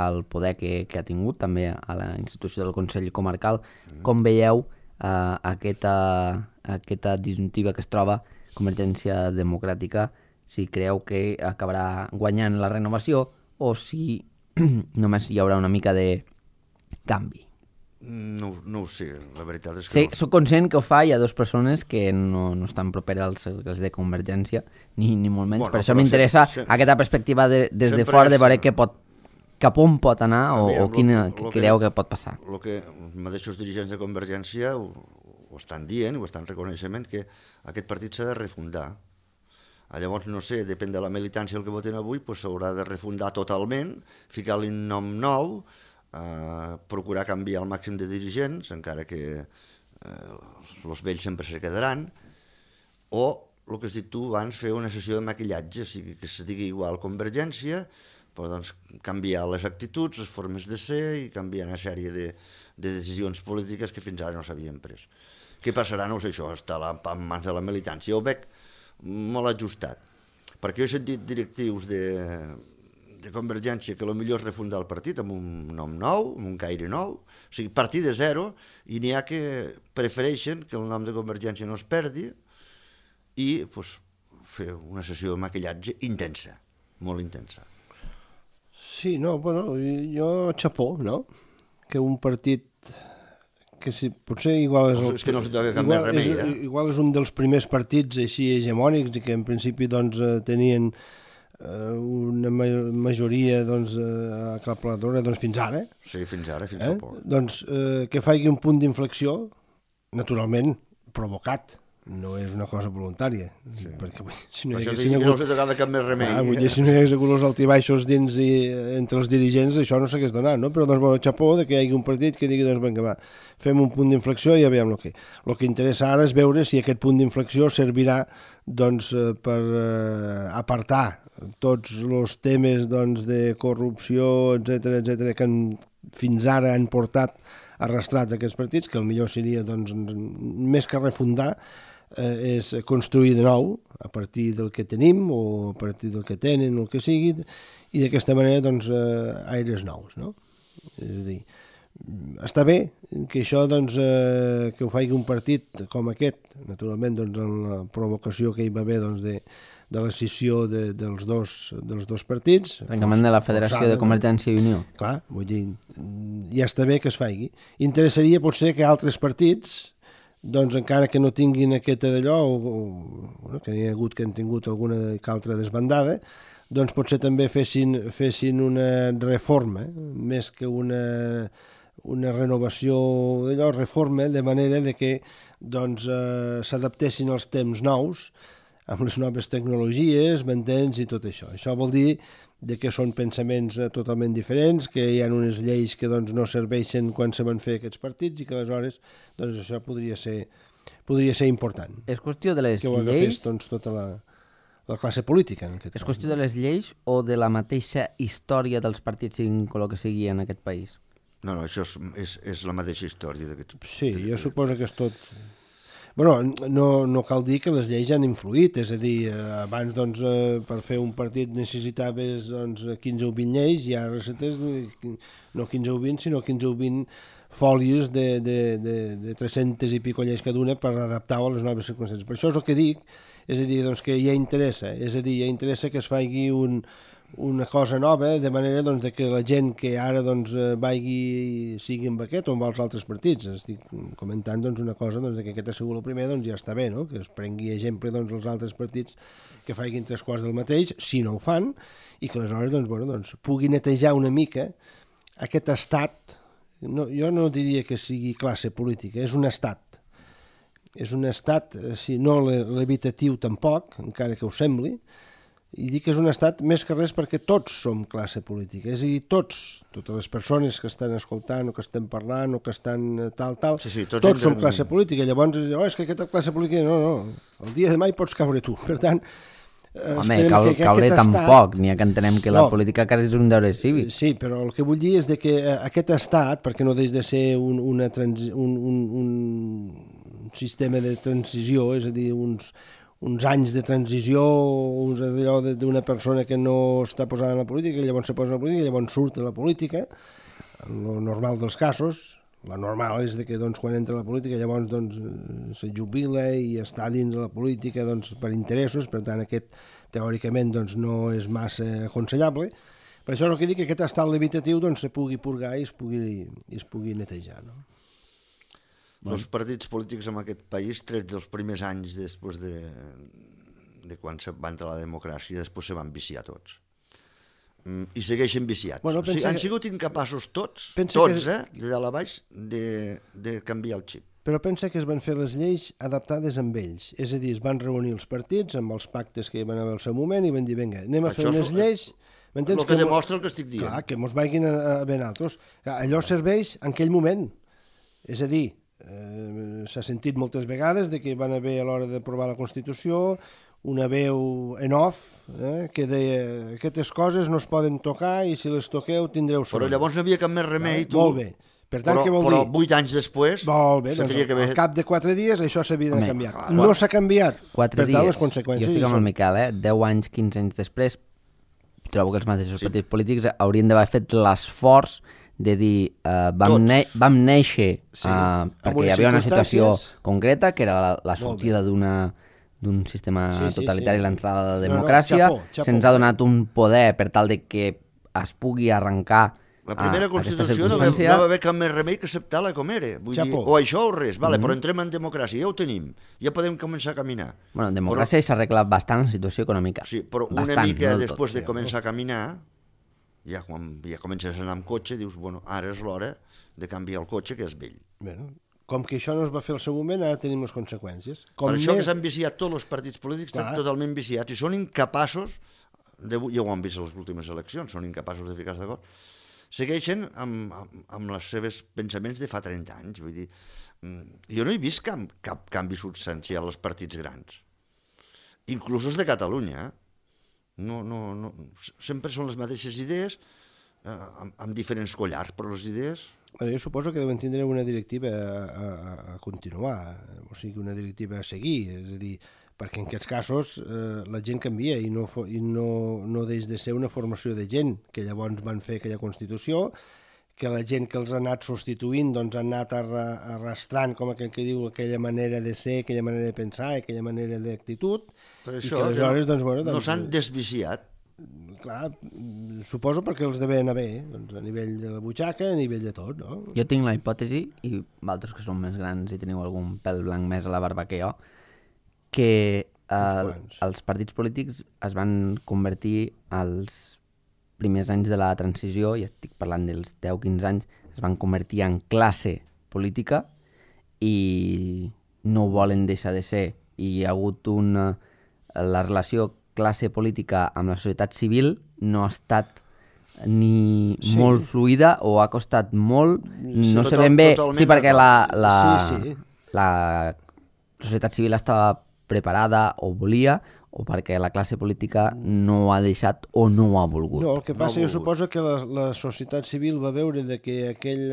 el poder que ha tingut, també a la institució del Consell Comarcal. Com veieu aquesta disjuntiva que es troba Convergència Democràtica, si creu que acabarà guanyant la renovació o si només hi haurà una mica de canvi? No ho sé, la veritat és que... Sí, soc conscient que ho fa, hi ha dues persones que no estan properes als cercles de Convergència, ni molt menys. Per això m'interessa aquesta perspectiva des de fora, de veure cap on pot anar o quina creu que pot passar. El que els mateixos dirigents de Convergència ho estan dient, ho estan reconeixement, que aquest partit s'ha de refundar. Llavors, no sé, depèn de la militància el que voten avui, s'haurà de refundar totalment, ficar-li un nom nou, procurar canviar el màxim de dirigents, encara que els vells sempre se quedaran, o el que has dit tu abans, fer una sessió de maquillatge, o sigui, que se digui igual Convergència, però doncs canviar les actituds, les formes de ser i canviar una sèrie de decisions polítiques que fins ara no s'havien pres. Què passarà? No sé, això està en mans de la militància. Ho veig molt ajustat, perquè jo he sentit directius de Convergència que potser és refundar el partit amb un nom nou, amb un caire nou, o sigui, partir de zero, i n'hi ha que prefereixen que el nom de Convergència no es perdi i pues, fer una sessió de maquillatge intensa, molt intensa. Sí, no, bueno, jo xapó, no? Que un partit que si, potser igual és que no s'hi toca cap més remei, igual és un dels primers partits així hegemònics i que en principi doncs tenien una majoria doncs, aclaparadora doncs, fins ara. Sí, fins ara, fins fa poc. Doncs que faci un punt d'inflexió, naturalment provocat, no és una cosa voluntària, perquè si no hi hagués hagut els altibaixos dins i entre els dirigents, això no s'hagués donat, no? Però doncs, bueno, xapó de que hi hagi un partit que digui, doncs, vinga, va, fem un punt d'inflexió i ja veiem el que. El que interessa ara és veure si aquest punt d'inflexió servirà doncs, per apartar tots els temes doncs, de corrupció, etc que fins ara han portat arrastrats aquests partits, que el millor seria, doncs, més que refundar, és construir de nou a partir del que tenim o a partir del que tenen o el que sigui, i d'aquesta manera doncs, aires nous, no? És a dir, està bé que això doncs, que ho faci un partit com aquest, naturalment doncs, en la provocació que hi va haver doncs, de l'escissió dels dos partits. Tancament de la Federació de Convergència i Unió. Clar, vull dir, ja està bé que es faci. Interessaria potser que altres partits, doncs encara que no tinguin aquesta d'allò, o que n'hi ha hagut que han tingut alguna altra desbandada, doncs potser també fessin una reforma, més que una renovació d'allò, reforma, de manera de que doncs, s'adaptessin als temps nous, amb les noves tecnologies, m'entens, i tot això. Això vol dir que són pensaments totalment diferents, que hi ha unes lleis que doncs, no serveixen quan se van fer aquests partits i que aleshores doncs, això podria ser important. És qüestió de les lleis... Que ho agafés doncs, tota la classe política. En aquest és qüestió de les lleis o de la mateixa història dels partits, siguin el que sigui en aquest país? No, això és la mateixa història d'aquests... Sí, jo suposo que és tot... Bueno, no cal dir que les lleis han influït, és a dir, abans doncs, per fer un partit necessitaves doncs, 15 o 20 lleis, i ara recetes no 15 o 20, sinó 15 o 20 fòlies de 300 i pico lleis cada una per adaptar-ho a les noves circumstàncies. Per això és el que dic, és a dir, doncs, que ja interessa, que es faci una cosa nova, de manera doncs, que la gent que ara doncs, sigui amb aquest o amb els altres partits. Estic comentant doncs, una cosa doncs, que aquest ha sigut el primer, doncs ja està bé, no? Que es prengui exemple doncs, els altres partits que facin 3/4 del mateix, si no ho fan, i que aleshores doncs, pugui netejar una mica aquest estat. No, jo no diria que sigui classe política, és un estat. És un estat, si no levitatiu tampoc, encara que ho sembli, i dic que és un estat més que res perquè tots som classe política, és a dir, totes les persones que estan escoltant o que estan parlant o que estan tal, tots som classe política. Llavors, és que aquesta classe política, no, el dia de demà hi pots caure tu, per tant... Home, caure tampoc, n'hi ha que entenem que la política quasi és un deure cívic. Sí, però el que vull dir és que aquest estat, perquè no deix de ser un sistema de transició, és a dir, uns anys de transició, d'allò d'una persona que no està posada en la política, llavors se posa en la política, llavors surt de la política, el normal dels casos. La normal és que doncs, quan entra a la política llavors doncs, se jubila i està dins de la política doncs, per interessos, per tant aquest teòricament doncs, no és massa aconsellable. Per això és el que dic, que aquest estat limitatiu doncs, se pugui purgar i es pugui netejar, no? Els partits polítics en aquest país, trets dels primers anys després de quan va entrar la democràcia, després se van viciar tots. I segueixen viciats. Bueno, han sigut incapaços tots, de dalt a baix, de canviar el xip. Però pensa que es van fer les lleis adaptades amb ells. És a dir, es van reunir els partits amb els pactes que hi van haver al seu moment i van dir, vinga, anem a fer unes lleis... El que demostra el que estic dient. Clar, que mos vagin a ben altres. Allò serveix en aquell moment. És a dir, s'ha sentit moltes vegades de que van haver a l'hora d'aprovar la Constitució una veu en off que deia aquestes coses no es poden tocar i si les toqueu tindreu sort. Però llavors no havia cap més remei, tu. Molt bé. Per tant, què vol dir? Però 8 anys després... Molt bé, doncs, al cap de 4 dies això s'havia de canviar. No s'ha canviat. 4 per tant, les conseqüències... Jo estic amb el Miquel, 10 anys, 15 anys després, trobo que els mateixos partits polítics haurien d'haver fet l'esforç de dir vam néixer perquè hi havia una situació concreta, que era la sortida d'un sistema totalitari i l'entrada de la democràcia. Se'ns ha donat un poder per tal de que es pugui arrencar la primera Constitució no va haver cap més remei que acceptar-la com era. Vull dir, o això o res, però entrem en democràcia, ja ho tenim, ja podem començar a caminar. Bueno, en democràcia s'ha arreglat bastant la situació econòmica. Sí, però una mica després de començar a caminar, ja quan ja comences a anar amb cotxe, dius, bueno, ara és l'hora de canviar el cotxe, que és vell. Bueno, com que això no es va fer al seu moment, ara tenim les conseqüències. Per això que s'han viciat tots els partits polítics, estan totalment viciats i són incapaços, ja ho han vist a les últimes eleccions, són incapaços de ficar-se d'acord, segueixen amb els seus pensaments de fa 30 anys. Vull dir, jo no he vist cap canvi substancial als partits grans, inclús els de Catalunya. No, sempre són les mateixes idees, amb diferents collars, però les idees... Jo suposo que deuen tindre una directiva a continuar, o sigui, una directiva a seguir, és a dir, perquè en aquests casos la gent canvia i no deix de ser una formació de gent que llavors van fer aquella Constitució, que la gent que els ha anat substituint doncs han anat arrastrant, com aquell que diu, aquella manera de ser, aquella manera de pensar, aquella manera d'actitud, i que aleshores no s'han desviciat. Clar, suposo perquè els deve anar bé, doncs a nivell de la butxaca, a nivell de tot, no? Jo tinc la hipòtesi, i vosaltres que sou més grans i teniu algun pèl blanc més a la barba que jo, que els partits polítics es van convertir als primers anys de la transició, i estic parlant dels 10-15 anys, es van convertir en classe política i no ho volen deixar de ser. I hi ha hagut la relació classe política amb la societat civil no ha estat ni molt fluida o ha costat molt, no sé ben bé, sí, perquè la societat civil estava preparada o volia, o perquè la classe política no ha deixat o no ha volgut. No, el que passa, jo suposo que la societat civil va veure que aquell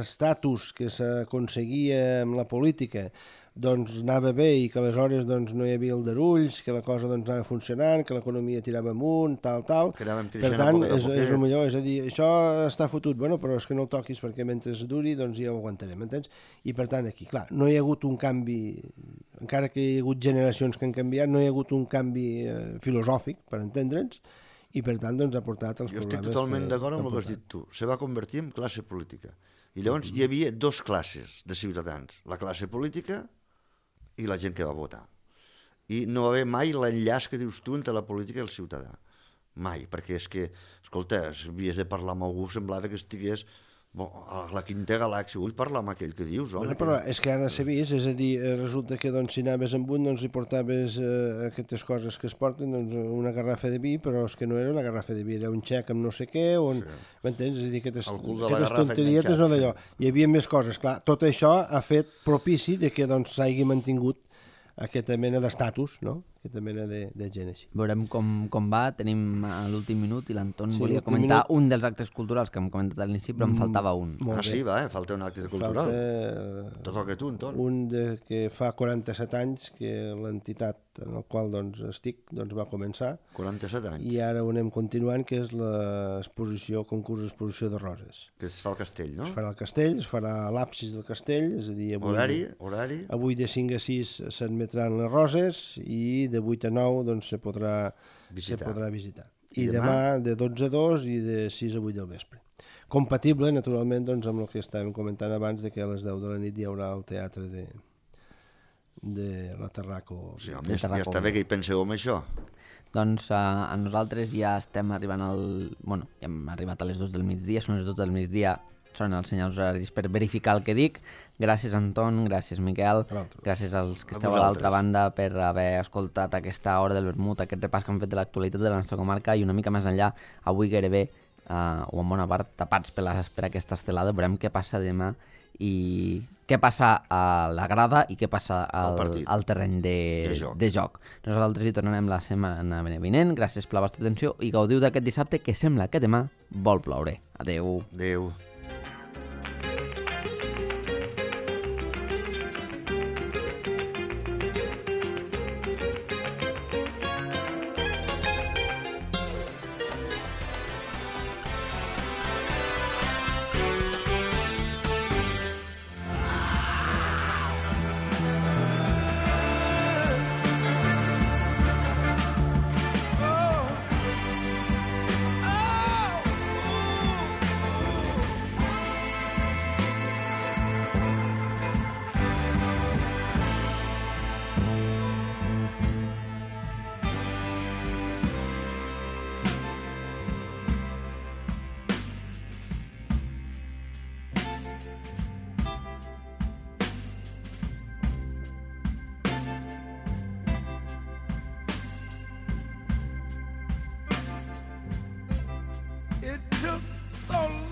estatus que s'aconseguia amb la política doncs anava bé i que aleshores doncs, no hi havia aldarulls, que la cosa doncs, anava funcionant, que l'economia tirava amunt, tal. Per tant, és el millor, és a dir, això està fotut, bueno, però és que no el toquis perquè mentre duri doncs ja ho aguantarem, entens? I per tant aquí, clar, no hi ha hagut un canvi, encara que hi ha hagut generacions que han canviat, no hi ha hagut un canvi filosòfic, per entendre'ns, i per tant doncs ha portat els problemes. Jo estic totalment d'acord amb el que has dit tu, se va convertir en classe política. I llavors hi havia dos classes de ciutadans, la classe política i la gent que va votar. I no va haver mai l'enllaç que dius tu entre la política i el ciutadà. Mai, perquè és que, escolta, si havies de parlar amb algú semblava que estigués a la quinta galàxia. Vull parlar amb aquell que dius, home. Bueno, però és que ara s'ha vist, és a dir, resulta que doncs, si anaves amb un, doncs hi portaves aquestes coses que es porten, doncs una garrafa de vi, però és que no era una garrafa de vi, era un xec amb no sé què, m'entens? És a dir, aquestes tonterietes o d'allò. Hi havia més coses, clar. Tot això ha fet propici de que doncs s'hagi mantingut aquesta mena d'estatus, no? Aquesta mena de gent així. Veurem com va, tenim l'últim minut i l'Anton volia comentar un dels actes culturals que hem comentat a l'inici, però em faltava un. Sí, falta un acte cultural. Te toca tu, Anton. Un que fa 47 anys que l'entitat en el qual estic va començar. 47 anys. I ara ho anem continuant, que és l'exposició, concurs d'exposició de roses. Que es fa al castell, no? Es farà al castell, es farà a l'absis del castell, és a dir, Horari? Avui de 5 a 6 s'admetran les roses i de 8 a 9 doncs se podrà visitar. I demà de 12 a 2 i de 6 a 8 del vespre. Compatible, naturalment, doncs, amb el que estàvem comentant abans, de que a les 10 de la nit hi haurà el teatre de la Tarraco. Sí, home, ja està bé que hi penseu en això. Doncs a nosaltres ja estem arribant ja hem arribat a les 2 del migdia, són les 2 del migdia, són els senyals horaris per verificar el que dic. Gràcies, Anton, gràcies, Miquel, gràcies als que esteu a l'altra banda per haver escoltat aquesta hora del vermut, aquest repàs que han fet de l'actualitat de la nostra comarca i una mica més enllà, avui gairebé, o en bona part, tapats per aquesta estelada. Veurem què passa demà i què passa a la grada i què passa al terreny de joc. Nosaltres hi tornarem la setmana vinent. Gràcies per la vostra atenció i gaudiu d'aquest dissabte que sembla que demà vol ploure. Adeu. Adeu. It took so long.